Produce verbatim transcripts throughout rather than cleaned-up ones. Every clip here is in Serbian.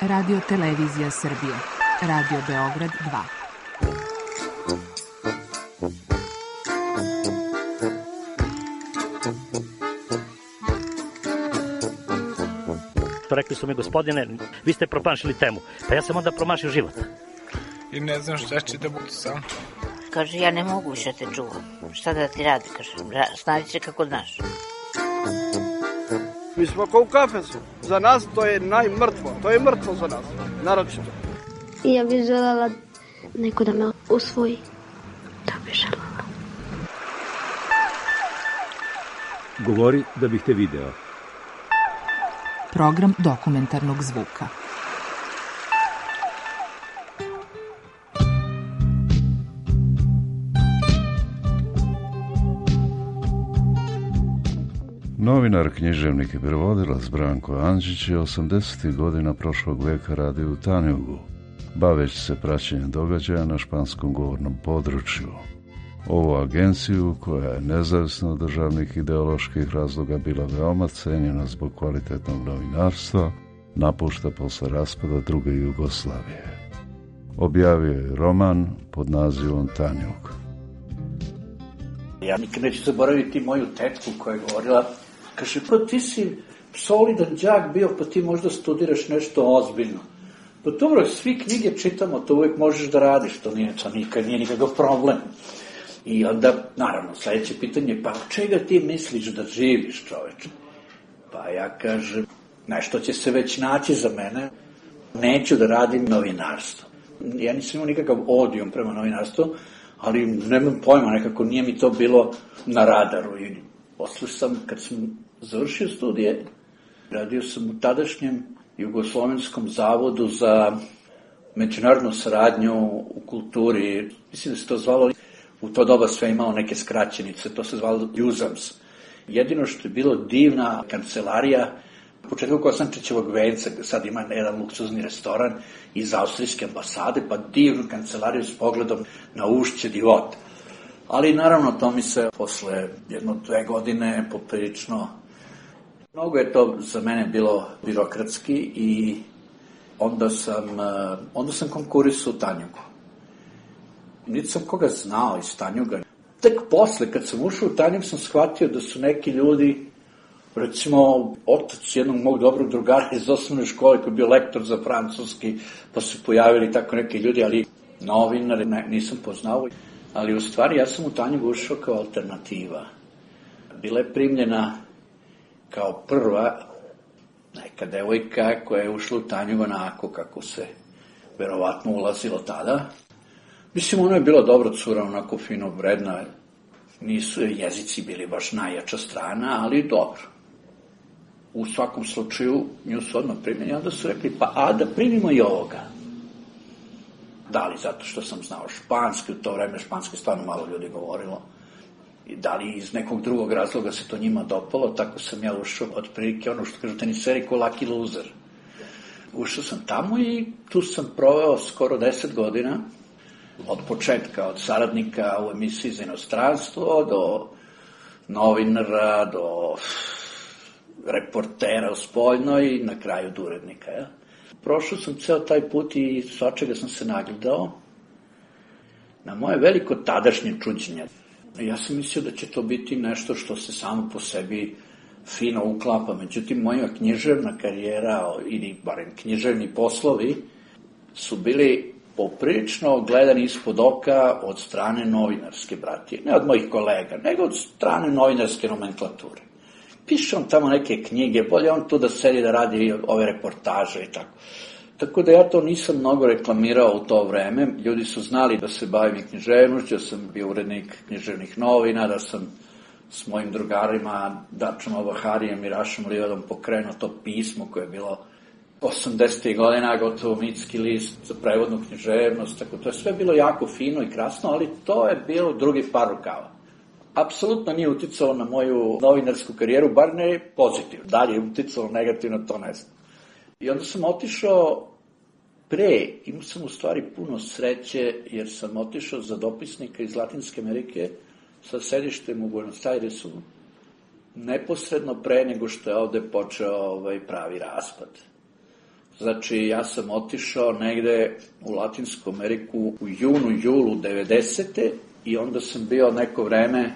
Radio Televizija Srbije. Radio Beograd dva. Rekli su mi, gospodine, vi ste promašili temu. Pa ja sam onda promašio život. I ne znam šta će da bude sam. Kaže, ja ne mogu više te čuvam. Šta da ti radi, kaže, snađi se kako znaš. Mi smo kao u kafesu. Za nas to je najmrtvo. To je mrtvo za nas, naročito. Ja bih želela neko da me usvoji. Da bih želela. Govori da bih te video. Program dokumentarnog zvuka. Novinar, književnik i prevodilac Branko Andžić je osamdesetih godina prošlog veka radio u Tanjugu, baveći se praćenjem događaja na španskom govornom području. Ovu agenciju, koja je nezavisno od državnih ideoloških razloga bila veoma cenjena zbog kvalitetnog novinarstva, napušta posle raspada druge Jugoslavije. Objavio je roman pod nazivom Tanjug. Ja nikad neću zaboraviti moju tetku koja je govorila, kaže, pa ti si solidan đak bio, pa ti možda studiraš nešto ozbiljno. Pa dobro, svi knjige čitamo, to uvijek možeš da radiš, to nije, to nikad nije nikakav problem. I onda, naravno, sledeće pitanje, pa od čega ti misliš da živiš, čoveče? Pa ja kažem, nešto će se već naći za mene, neću da radim novinarstvo. Ja nisam imao nikakav odijum prema novinarstvu, ali nemam pojma, nekako nije mi to bilo na radaru. I posle sam, kad sam završio studije, radio sam u tadašnjem Jugoslovenskom zavodu za međunarodnu saradnju u kulturi. Mislim da se to zvalo, u to doba sve imao neke skraćenice, to se zvalo Juzams. Jedino što je bilo divna kancelarija, u početku Kosančićevog venca, sad ima jedan luksuzni restoran iz austrijske ambasade, pa divnu kancelariju s pogledom na ušće Divot. Ali naravno to mi se posle jedno dve godine poprilično, mnogo je to za mene bilo birokratski i onda sam, onda sam konkurisao u Tanjugu. Niti sam koga znao iz Tanjuga. Tek posle, kad sam ušao u Tanjug, sam shvatio da su neki ljudi, recimo, otac jednog mog dobrog drugara iz osnovne škole koji je bio lektor za francuski, pa su pojavili tako neki ljudi, ali novinare ne, nisam poznao. Ali u stvari ja sam u Tanjug ušao kao alternativa. Bila je primljena kao prva neka devojka koja je ušla u Tanjug onako kako se verovatno ulazilo tada. Mislim, ona je bila dobra cura, onako fino vredna. Nisu jezici bili baš najjača strana, ali dobro. U svakom slučaju, nju su odmah primjeni, onda su rekli, pa a da primimo i ovoga. Da li zato što sam znao španski, u to vreme španski stvarno malo ljudi govorilo, i da li iz nekog drugog razloga se to njima dopalo, tako sam ja ušao od prilike, ono što kažu teniseri ko Lucky Loser. Ušao sam tamo i tu sam proveo skoro deset godina, od početka, od saradnika u emisiji za inostranstvo, do novinara, do reportera u spoljnoj i na kraju do urednika. Ja. Prošao sam ceo taj put i svačega sam se nagledao. Na moje veliko tadašnje čuđenje. Ja sam mislio da će to biti nešto što se samo po sebi fino uklapa. Međutim, moja književna karijera, ili barem književni poslovi, su bili poprilično gledani ispod oka od strane novinarske bratije. Ne od mojih kolega, nego od strane novinarske nomenklature. Piše on tamo neke knjige, bolje on tu da sedi da radi ove reportaže i tako. Tako da ja to nisam mnogo reklamirao u to vreme. Ljudi su znali da se bavim književnošću, da sam bio urednik književnih novina, da sam s mojim drugarima Dačom Obaharijem i Rašom Livadom pokrenuo to pismo koje je bilo osamdesetih godina, gotovo mitski list za prevodnu književnost, tako to je sve bilo jako fino i krasno, ali to je bilo drugi par rukava. Apsolutno nije uticalo na moju novinarsku karijeru, bar ne pozitivno. Dalje je uticalo negativno, to ne znam. I onda sam otišao pre, imao sam u stvari puno sreće, jer sam otišao za dopisnika iz Latinske Amerike sa sedištem u Buenos Airesu, neposredno pre nego što je ovde počeo ovaj pravi raspad. Znači, ja sam otišao negde u Latinsku Ameriku u junu, julu devedesete i onda sam bio neko vreme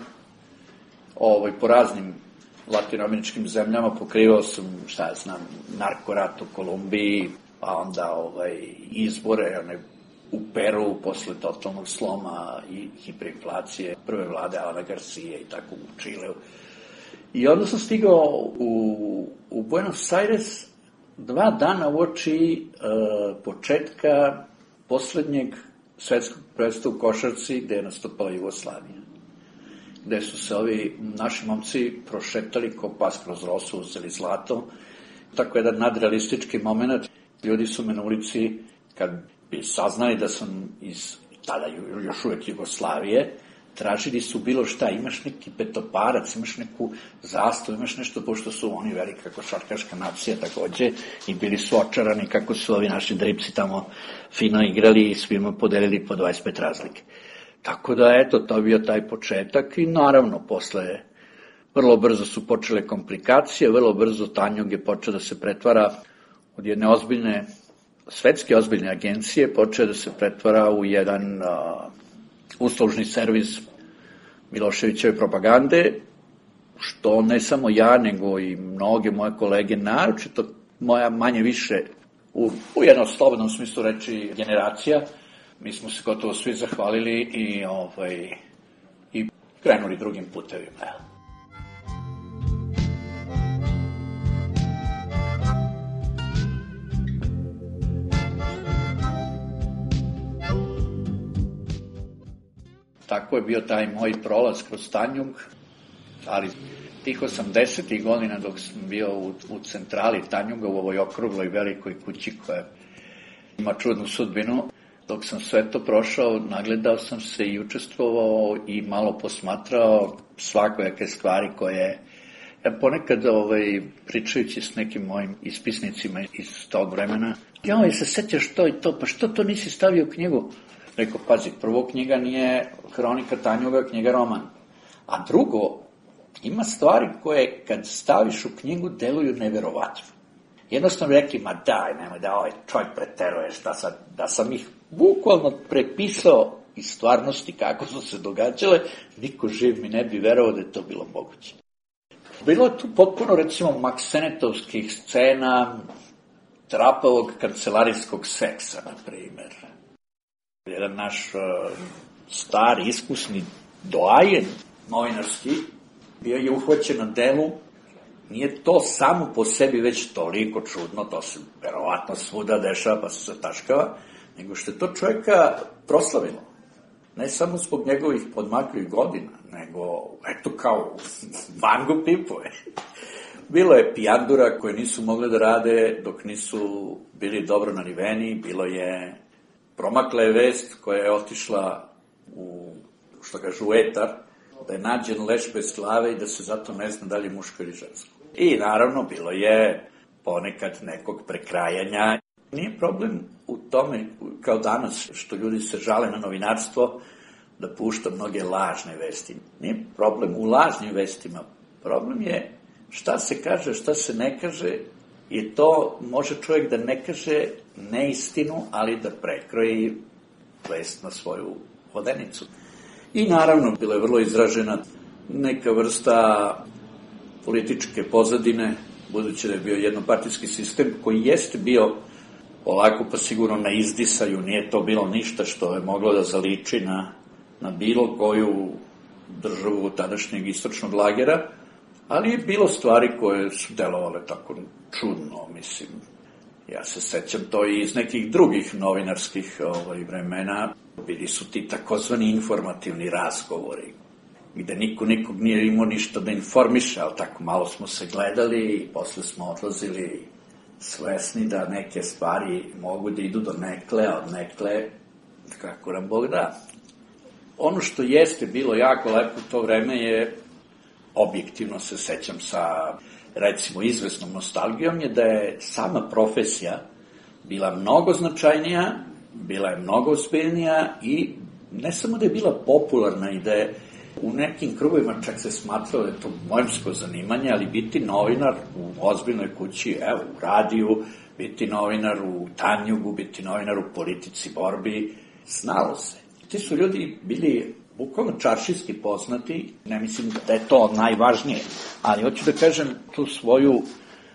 ovaj, po raznim latinoameričkim zemljama, pokrivao sam, šta ja znam, narkorat u Kolumbiji, pa onda ovaj, izbore one, u Peru posle totalnog sloma i hiperinflacije prve vlade Alana Garcije i tako u Čileu. I onda sam stigao u, u Buenos Aires dva dana uoči uh, početka poslednjeg svetskog prvenstva u košarci gde je nastupala Jugoslavija. Gde su se ovi naši momci prošetali ko pas kroz rosu, uzeli zlato. Tako jedan nadrealistički moment. Ljudi su me na ulici, kad bi saznali da sam iz tada još uvek Jugoslavije, tražili su bilo šta, imaš neki petoparac, imaš neku zastavu, imaš nešto, pošto su oni velika košarkaška nacija takođe i bili su očarani kako su ovi naši dripsi tamo fino igrali i svima podelili po dvadeset pet razlike. Tako da, eto, to je bio taj početak i naravno, posle vrlo brzo su počele komplikacije, vrlo brzo Tanjug je počeo da se pretvara od jedne ozbiljne, svetske ozbiljne agencije, počeo da se pretvara u jedan uh, uslužni servis Miloševićeve propagande, što ne samo ja, nego i mnoge moje kolege, naročito moja manje više, u, u jednom slobodnom smislu reči, generacija, mi smo se gotovo svi zahvalili i, ovaj, i krenuli drugim putevima. Tako je bio taj moj prolaz kroz Tanjug, ali tih osamdesetih godina dok sam bio u, u centrali Tanjuga, u ovoj okrugloj velikoj kući koja ima čudnu sudbinu, dok sam sve to prošao, nagledao sam se i učestvovao i malo posmatrao svakojake stvari koje, ja ponekad ovaj, pričajući s nekim mojim ispisnicima iz tog vremena, joj, se sećaš to i to, pa što to nisi stavio u knjigu? Rekao, pazi, prvo knjiga nije Hronika Tanjuga, knjiga roman. A drugo, ima stvari koje kad staviš u knjigu deluju neverovatno. Jednostavno rekli, ma daj, nemoj da ovaj čovjek preteruje, šta sad, da sam ih bukvalno prepisao iz stvarnosti kako su se događale, niko živ mi ne bi verovao da je to bilo moguće. Bilo je tu potpuno, recimo, maksenetovskih scena, trapavog kancelarijskog seksa, na primer. Jedan naš uh, stari, iskusni doajen novinarski bio je uhvaćen na delu. Nije to samo po sebi već toliko čudno, to se verovatno svuda dešava pa se zataškava, nego što je to čovjeka proslavilo. Ne samo zbog njegovih podmakljivih godina, nego eto kao vangu pipove. Bilo je pijandura koje nisu mogli da rade dok nisu bili dobro nariveni, bilo je promakla je vest koja je otišla u, što kažu, u etar, da je nađen leš bez glave i da se zato ne zna da li je muško ili žensko. I naravno bilo je ponekad nekog prekrajanja. Nije problem u tome, kao danas, što ljudi se žale na novinarstvo, da pušta mnoge lažne vesti. Nije problem u lažnim vestima. Problem je šta se kaže, šta se ne kaže, i to može čovjek da ne kaže neistinu, ali da prekroji vest na svoju vodenicu. I naravno, bila je vrlo izražena neka vrsta političke pozadine, budući da je bio jednopartijski sistem koji jeste bio polako pa sigurno na izdisaju, nije to bilo ništa što je moglo da zaliči na, na bilo koju državu tadašnjeg istočnog lagera, ali je bilo stvari koje su delovale tako čudno, mislim. Ja se sećam to i iz nekih drugih novinarskih ovaj, vremena. Bili su ti takozvani informativni razgovori, gde niko nikog nije imao ništa da informiše, ali tako malo smo se gledali i posle smo odlazili svesni da neke stvari mogu da idu do nekle, a od nekle kako nam Bog da. Ono što jeste bilo jako lepo u to vreme je, objektivno se sećam sa, recimo, izvesnom nostalgijom, je da je sama profesija bila mnogo značajnija, bila je mnogo uspješnija i ne samo da je bila popularna i da je u nekim krugovima čak se smatralo da je to mojemsko zanimanje, ali biti novinar u ozbiljnoj kući, evo, u radiju, biti novinar u Tanjugu, biti novinar u Politici, Borbi, znalo se. Ti su ljudi bili bukvalno čaršijski poznati, ne mislim da je to najvažnije, ali hoću da kažem, tu svoju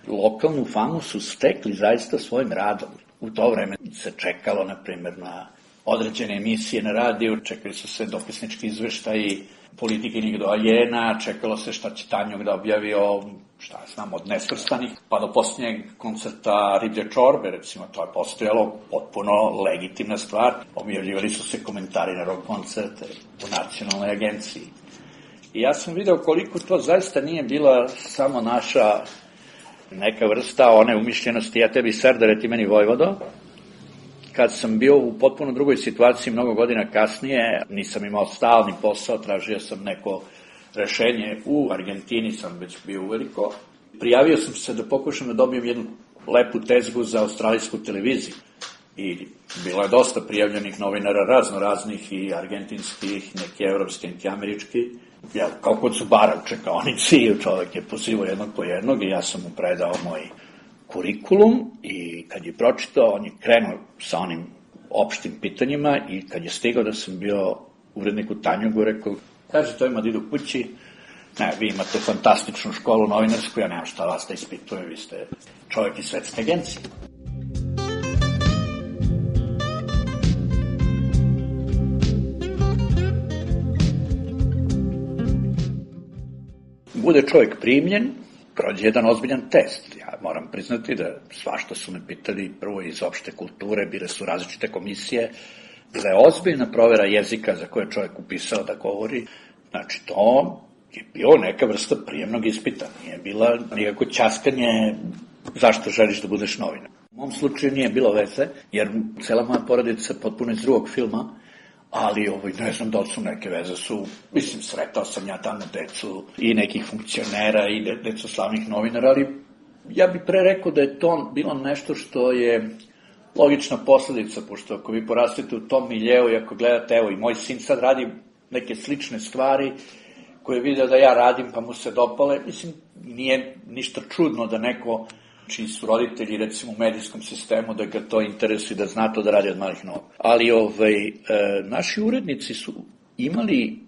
lokalnu famu su stekli zaista svojim radom. U to vreme se čekalo, na primjer, na određene emisije na radiju, čekali su se dopisnički izveštaji politikinih doajena, čekalo se šta će Tanjug da objavi o, šta znam, od nesvrstanih, pa do posljednjeg koncerta Riblje čorbe, recimo, to je postojalo potpuno legitimna stvar. Objavljivali su se komentari na rock koncerte u Nacionalnoj agenciji. I ja sam video koliko to zaista nije bila samo naša neka vrsta one umišljenosti, ja tebi Serdare, ti meni Vojvodo. Kad sam bio u potpuno drugoj situaciji mnogo godina kasnije, nisam imao stalni posao, tražio sam neko rešenje u Argentini, sam već bio uveliko. Prijavio sam se da pokušam da dobijem jednu lepu tezgu za australijsku televiziju. I bilo je dosta prijavljenih novinara, razno raznih, i argentinskih, neki evropski, neki američki. Ja, kao kod Zubara u čekaonici, čovek je pozivao jednog po jednog i ja sam mu predao moj kurikulum i kad je pročitao, on je krenuo sa onim opštim pitanjima i kad je stigao da sam bio urednik u Tanjugu, rekao, kaže to ima da idu kući, ne, vi imate fantastičnu školu novinarsku, ja nemam šta vas da ispitujem, vi ste čovek iz Svetske agencije. Bude čovjek primljen, prođe jedan ozbiljan test. Ja moram priznati da svašta su me pitali, prvo iz opšte kulture, bile su različite komisije, bila je ozbiljna provera jezika za koje je čovjek upisao da govori. Znači, to je bio neka vrsta prijemnog ispita, nije bila nikako ćaskanje zašto želiš da budeš novinar. U mom slučaju nije bilo veze, jer cela moja porodica potpuno iz drugog filma, ali ovaj, ne znam da li su neke veze su, mislim, sretao sam ja tamo decu i nekih funkcionera i de, decu slavnih novinara, ali ja bih pre rekao da je to bilo nešto što je logična posledica, pošto ako vi porastete u tom miljeu i ako gledate, evo i moj sin sad radi neke slične stvari koje je video da ja radim pa mu se dopale, mislim, nije ništa čudno da neko čiji su roditelji, recimo, u medijskom sistemu, da ga to interesuje, da zna to da radi od malih nogu. Ali ovaj, e, naši urednici su imali,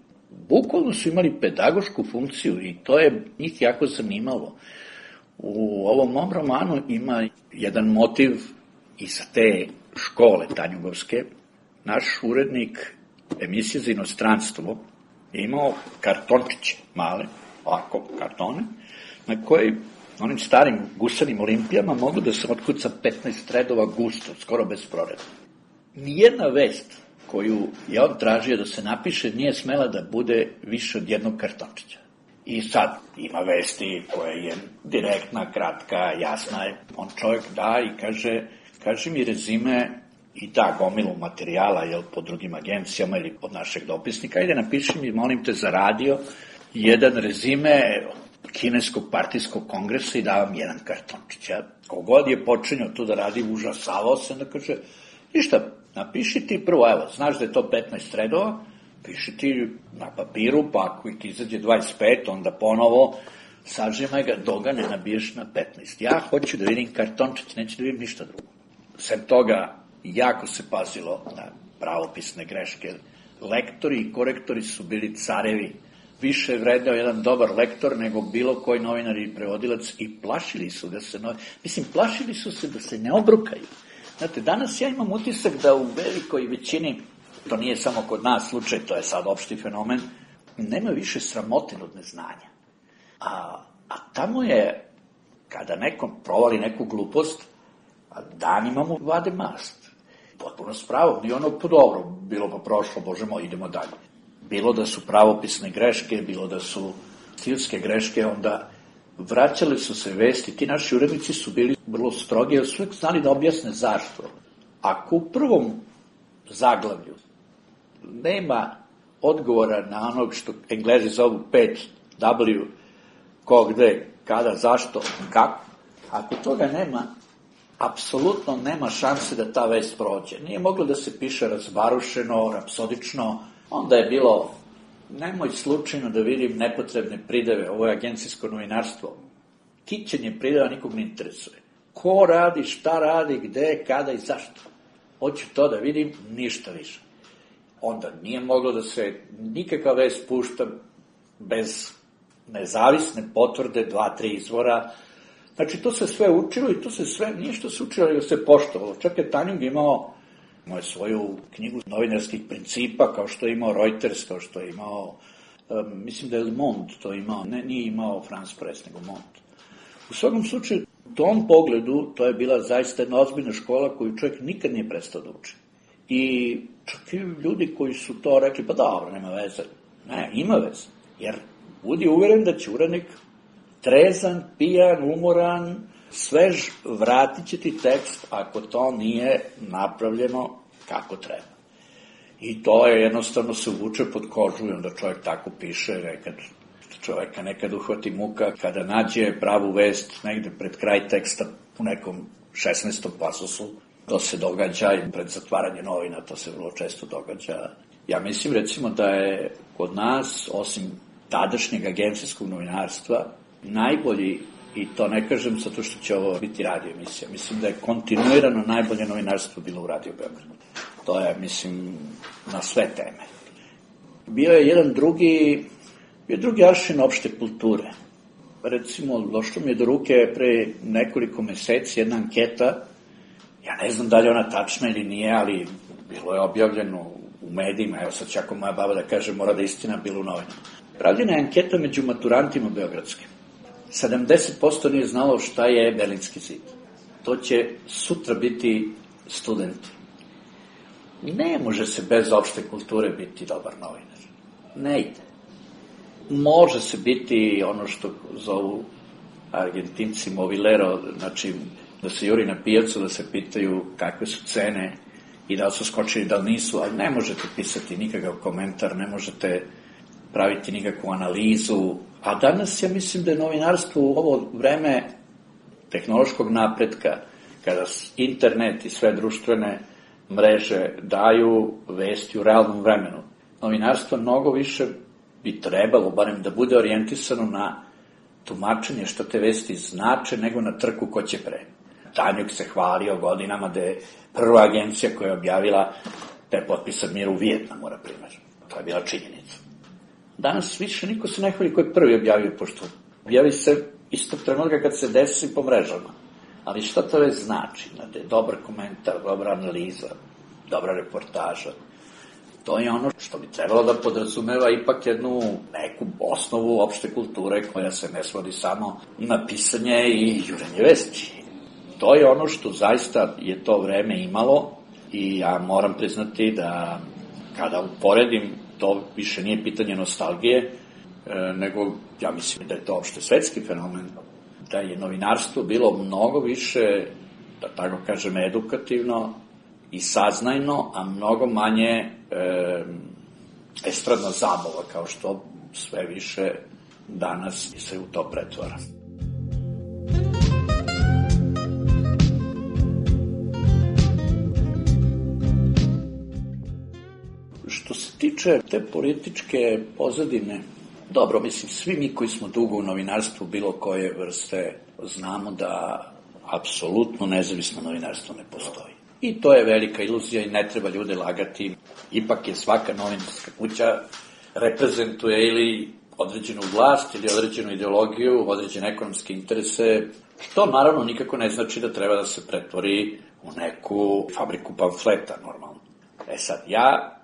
bukvalno su imali pedagošku funkciju i to je njih jako zanimalo. U ovom mom romanu ima jedan motiv iz te škole tanjugovske. Naš urednik emisije za inostranstvo je imao kartončiće male, ovako kartone, na koji onim starim gusanim olimpijama mogu da se otkuca petnaest redova gusto, skoro bez proreda. Nijedna vest koju je on tražio da se napiše nije smela da bude više od jednog kartončića. I sad ima vesti koja je direktna, kratka, jasna je. On čovjek da i kaže, kaže mi rezime i da gomilu materijala, jel, po drugim agencijama ili od našeg dopisnika, ajde napiši mi, molim te, za radio jedan rezime kineskog partijskog kongresa i davam jedan kartončić. Ja, kogod je počinio tu da radi, užasavao se, da kaže, ništa, napiši ti prvo, evo, znaš da je to petnaest redova, piši ti na papiru, pa ako ti izađe dvadeset pet, onda ponovo sažimaj ga, dok ga ne nabiješ na petnaest. Ja hoću da vidim kartončić, neću da vidim ništa drugo. Sem toga, jako se pazilo na pravopisne greške. Lektori i korektori su bili carevi. Više je vredeo jedan dobar lektor nego bilo koji novinar i prevodilac i plašili su da se, no... mislim, plašili su se da se ne obrukaju. Znate, danas ja imam utisak da u velikoj većini, to nije samo kod nas slučaj, to je sad opšti fenomen, nema više sramote od neznanja. A, a tamo je, kada nekom provali neku glupost, danima mu vade mast. Potpuno s pravom, i ono po dobro, bilo pa prošlo, bože moj, idemo dalje. Bilo da su pravopisne greške, bilo da su stilske greške, onda vraćali su se vesti. Ti naši urednici su bili vrlo strogi, jer su uvijek znali da objasne zašto. Ako u prvom zaglavlju nema odgovora na onog što Englezi zovu pet W, ko, gde, kada, zašto, kako, ako toga nema, apsolutno nema šanse da ta vest prođe. Nije moglo da se piše razbarušeno, rapsodično, onda je bilo, nemoj slučajno da vidim nepotrebne prideve, ovo je agencijsko novinarstvo. Kićenje prideva nikog ne interesuje. ko radi, šta radi, gde, kada i zašto. Hoću to da vidim, ništa više. Onda nije moglo da se nikakav vest pušta bez nezavisne potvrde, dva, tri izvora. Znači, to se sve učilo i to se sve, nije što se učilo, nego se poštovalo. Čak je Tanjug imao, imao je svoju knjigu novinarskih principa, kao što je imao Reuters, kao što je imao, um, mislim da je Le Monde to imao, ne, nije imao France Press, nego Monde. U svakom slučaju, u tom pogledu, to je bila zaista jedna ozbiljna škola koju čovjek nikad nije prestao da uči. I čak i ljudi koji su to rekli, pa dobro, nema veze. Ne, ima veze. Jer budi uveren da će urednik trezan, pijan, umoran, svež, vratit će ti tekst ako to nije napravljeno kako treba. I to je jednostavno se uvuče pod kožu i onda čovjek tako piše, nekad čovjeka nekad uhvati muka kada nađe pravu vest negde pred kraj teksta u nekom šesnaestom pasosu. To se događa i pred zatvaranje novina, to se vrlo često događa. Ja mislim recimo da je kod nas, osim tadašnjeg agencijskog novinarstva, najbolji, i to ne kažem zato što će ovo biti radio emisija, mislim da je kontinuirano najbolje novinarstvo bilo u Radio Beogradu. To je, mislim, na sve teme. Bio je jedan drugi, bio je drugi aršin opšte kulture. Recimo, došlo mi je do ruke pre nekoliko meseci jedna anketa, ja ne znam da li je ona tačna ili nije, ali bilo je objavljeno u medijima, evo sad čako moja baba da kaže, mora da istina bilo u novinama. Pravljena je anketa među maturantima beogradskim. sedamdeset posto nije znalo šta je Berlinski zid. To će sutra biti studenti. Ne može se bez opšte kulture biti dobar novinar. Ne ide. Može se biti ono što zovu Argentinci movilero, znači da se juri na pijacu, da se pitaju kakve su cene i da li su skočili, da li nisu, ali ne možete pisati nikakav komentar, ne možete praviti nikakvu analizu. A danas ja mislim da je novinarstvo u ovo vreme tehnološkog napretka, kada internet i sve društvene mreže daju vesti u realnom vremenu, novinarstvo mnogo više bi trebalo, barem da bude orijentisano na tumačenje što te vesti znače, nego na trku ko će pre. Tanjug se hvalio godinama da je prva agencija koja je objavila da je potpisan mir u Vijetnamu, na primjer. To je bila činjenica. Danas više niko se ne hvali ko je prvi objavio, pošto objavi se istog trenutka kad se desi po mrežama. Ali šta to već znači? Da je dobar komentar, dobra analiza, dobra reportaža. To je ono što bi trebalo da podrazumeva ipak jednu neku osnovu opšte kulture koja se ne svodi samo na pisanje i jurenje vesti. To je ono što zaista je to vreme imalo i ja moram priznati da kada uporedim, to više nije pitanje nostalgije, nego ja mislim da je to opšte svetski fenomen, da je novinarstvo bilo mnogo više, da tako kažem, edukativno i saznajno, a mnogo manje e, estradna zabava, kao što sve više danas se u to pretvara. Što se tiče te političke pozadine, dobro, mislim, svi mi koji smo dugo u novinarstvu bilo koje vrste, znamo da apsolutno nezavisno novinarstvo ne postoji. I to je velika iluzija i ne treba ljude lagati. Ipak je svaka novinarska kuća reprezentuje ili određenu vlast, ili određenu ideologiju, određene ekonomske interese, što naravno nikako ne znači da treba da se pretvori u neku fabriku pamfleta, normalno. E sad, ja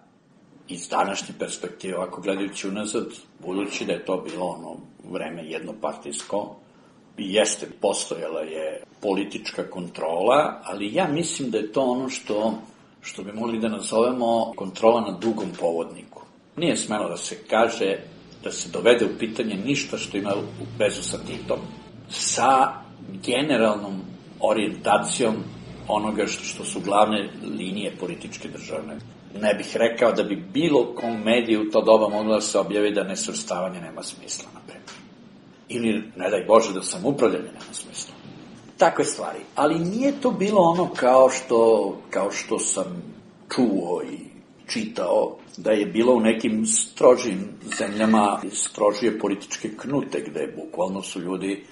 iz današnje perspektive, ovako gledajući unazad, budući da je to bilo ono vreme jednopartijsko, jeste, postojala je politička kontrola, ali ja mislim da je to ono što, što bi mogli da nazovemo kontrola na dugom povodniku. Nije smelo da se kaže, da se dovede u pitanje ništa što ima u vezu sa Titom, sa generalnom orijentacijom onoga što, što su glavne linije političke državne. Ne bih rekao da bi bilo kom mediju u to doba moglo da se objavi da nesvrstavanje nema smisla, na primjer. Ili, ne daj Bože, da samoupravljanje nema smisla. Takve stvari. Ali nije to bilo ono kao što, kao što sam čuo i čitao, da je bilo u nekim strožim zemljama strožije političke knute, gde bukvalno su ljudi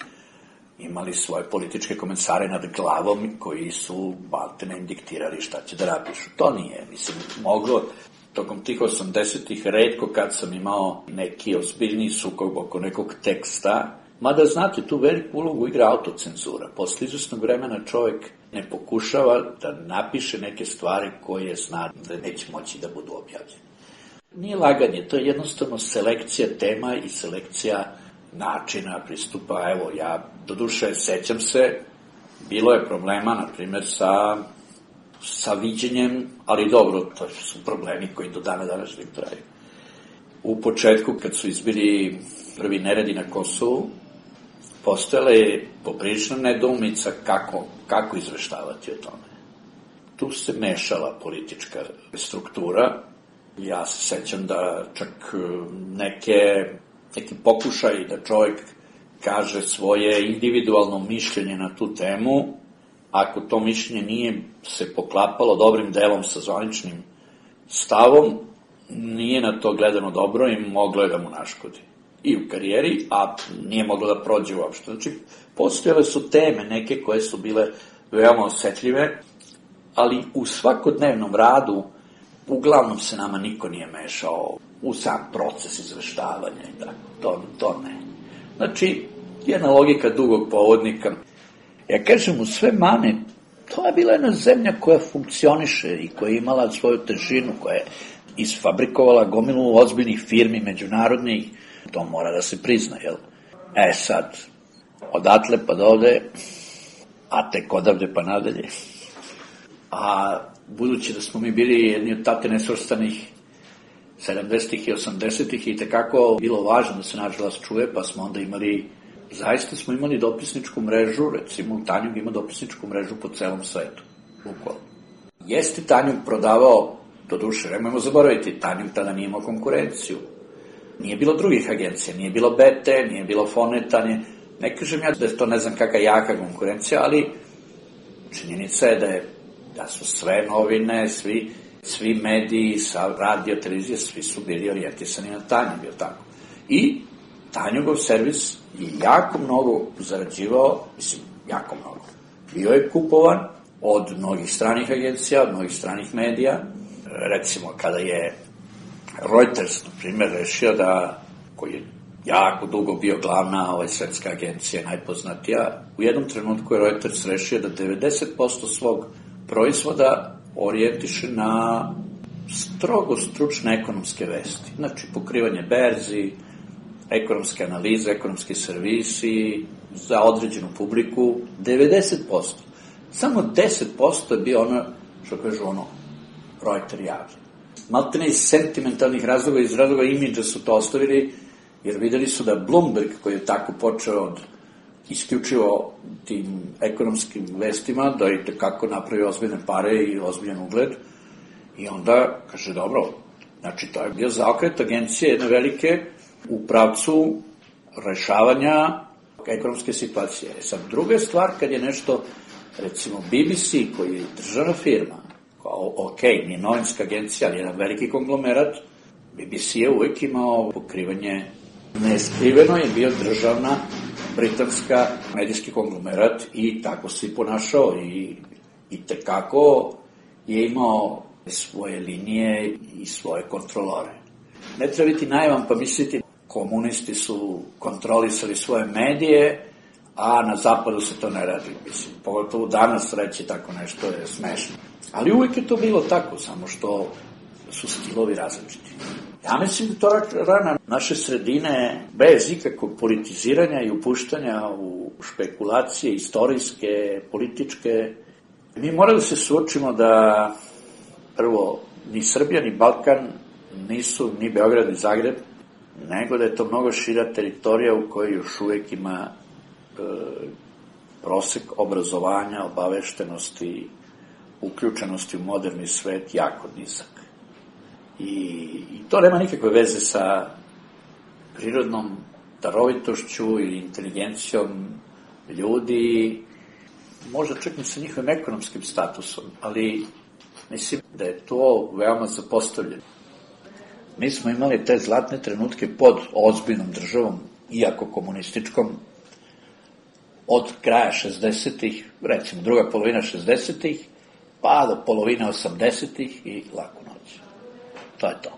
imali svoje političke komentare nad glavom koji su maltene im diktirali šta će da napišu. To nije, mislim, moglo tokom tih osamdesetih retko kad sam imao neki ozbiljniji sukob oko nekog teksta, mada znate, tu veliku ulogu igra autocenzura. Posle izvesnog vremena čovjek ne pokušava da napiše neke stvari koje zna da neće moći da budu objavljene. Nije laganje, to je jednostavno selekcija tema i selekcija načina pristupa. Evo, ja doduše sećam se, bilo je problema, na primjer, sa, sa viđenjem, ali dobro, to su problemi koji do dana današnjeg traju. U početku, kad su izbili prvi neredi na Kosovu, postojala je poprilična nedoumica kako, kako izveštavati o tome. Tu se mešala politička struktura. Ja se sećam da čak neke, neki pokušaj da čovjek kaže svoje individualno mišljenje na tu temu, ako to mišljenje nije se poklapalo dobrim delom sa zvaničnim stavom, nije na to gledano dobro i moglo je da mu naškodi. I u karijeri, a nije moglo da prođe uopšte. Znači, postojale su teme neke koje su bile veoma osetljive, ali u svakodnevnom radu uglavnom se nama niko nije mešao u sam proces izveštavanja i tako. To, to ne. Znači, jedna logika dugog povodnika. Ja kažem, u sve mane, to je bila jedna zemlja koja funkcioniše i koja je imala svoju težinu, koja je isfabrikovala gomilu ozbiljnih firmi, međunarodnih. To mora da se prizna, jel? E sad, odatle pa dovde, a tek odavde pa nadalje. A budući da smo mi bili jedni od tate nesvrstanih sedamdesetih i osamdesetih i tekako bilo važno da se naš glas čuje, pa smo onda imali, zaista smo imali dopisničku mrežu, recimo Tanjug ima dopisničku mrežu po celom svetu, bukvalno. Jeste Tanjug prodavao, do duše, nemojmo zaboraviti, Tanjug tada nije imao konkurenciju. Nije bilo drugih agencija, nije bilo B T, nije bilo Foneta, nije... ne kažem ja da je to ne znam kakva jaka konkurencija, ali činjenica je da, je, da su sve novine, svi, svi mediji, sa radio, televizije, svi su bili orijentisani na Tanjug, je tako. I Tanjugov servis je jako mnogo zarađivao, mislim, jako mnogo. Bio je kupovan od mnogih stranih agencija, od mnogih stranih medija. Recimo, kada je Reuters, na primjer, rešio da, koji je jako dugo bio glavna ovaj, svetska agencija, najpoznatija, u jednom trenutku je Reuters rešio da devedeset posto svog proizvoda orijentiše na strogo stručne ekonomske vesti. Znači, pokrivanje berzi, ekonomske analize, ekonomski servisi za određenu publiku, devedeset posto. Samo deset posto je bio ono, što kažu ono, Reuters javlja. Maltene iz sentimentalnih razloga, iz razloga imidža su to ostavili, jer videli su da Bloomberg, koji je tako počeo od isključivo tim ekonomskim vestima, da je tekako napravio ozbiljne pare i ozbiljan ugled, i onda kaže, dobro, znači to je bio zaokret agencije jedne velike u pravcu rešavanja ekonomske situacije. E sad, druga stvar, kad je nešto, recimo B B C, koji je državna firma, kao, ok, nije novinska agencija, ali jedan veliki konglomerat, B B C je uvek imao pokrivanje, neskriveno je bio državna britanska medijski konglomerat i tako se i ponašao i, i tekako je imao svoje linije i svoje kontrolore. Ne treba biti naivan pa misliti komunisti su kontrolisali svoje medije, a na zapadu se to ne radi. Mislim, pogotovo danas reći tako nešto je smešno. Ali uvijek je to bilo tako, samo što su stilovi različiti. Ja mislim da to rana naše sredine, bez ikakvog politiziranja i upuštanja u špekulacije istorijske, političke, mi moramo da se suočimo da prvo ni Srbija ni Balkan nisu ni Beograd ni Zagreb, nego da je to mnogo šira teritorija u kojoj još uvek ima e, prosek obrazovanja, obaveštenosti, uključenosti u moderni svet jako nizak. I, i to nema nikakve veze sa prirodnom darovitošću ili inteligencijom ljudi, možda čak i sa njihovim ekonomskim statusom, ali mislim da je to veoma zapostavljeno. Mi smo imali te zlatne trenutke pod ozbiljnom državom, iako komunističkom, od kraja šezdesetih, recimo druga polovina šezdesetih, pa do polovine osamdesetih i Laku noć. To je to.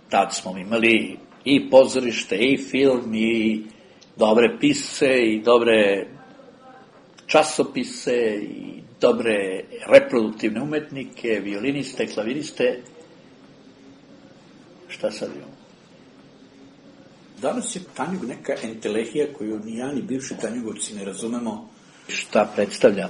Tad smo imali i pozorište, i film, i dobre pisce, i dobre časopise, i dobre reproduktivne umetnike, violiniste, klaviriste. Šta sad imamo? Danas je Tanjug neka entelehija koju ni ja ni bivši tanjugovci ne razumemo šta predstavlja.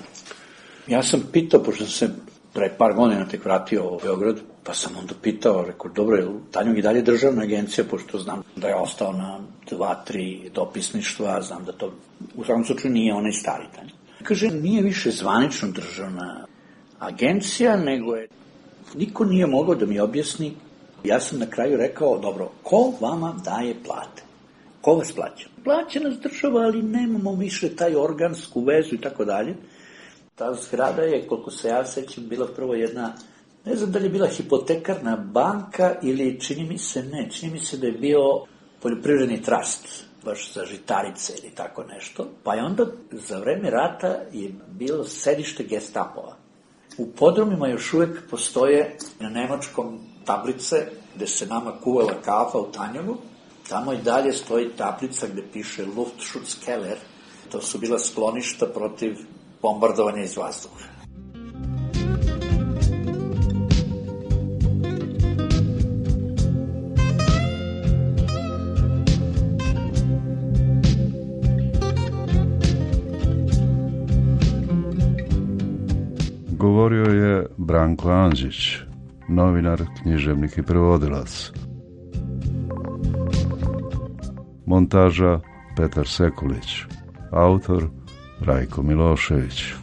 Ja sam pitao, pošto sam se pre par godina tek vratio u Beograd, pa sam onda pitao, rekao, dobro, je Tanjug i dalje državna agencija, pošto znam da je ostao na dva, tri dopisništva, znam da to u svakom slučaju nije onaj stari Tanjug. Kaže, nije više zvanično državna agencija, nego je, niko nije mogao da mi objasni. Ja sam na kraju rekao, dobro, ko vama daje plate? Ko vas plaća? Plaća nas država, ali nemamo više taj organsku vezu i tako dalje. Ta zgrada je, koliko se ja sećam, bila prvo jedna, ne znam da li je bila hipotekarna banka ili čini mi se ne, čini mi se da je bio poljoprivredni trust, baš za žitarice ili tako nešto. Pa je onda za vreme rata je bilo sedište Gestapova. U podrumima još uvek postoje na nemačkom tablice gde se nama kuvala kafa u Tanjugu. Tamo i dalje stoji tablica gde piše Luftschutzkeller. To su bila skloništa protiv bombardovanja iz vazduha. Govorio je Branko Andžić, novinar, književnik i prevodilac. Montaža Petar Sekulić, autor Rajko Milošević.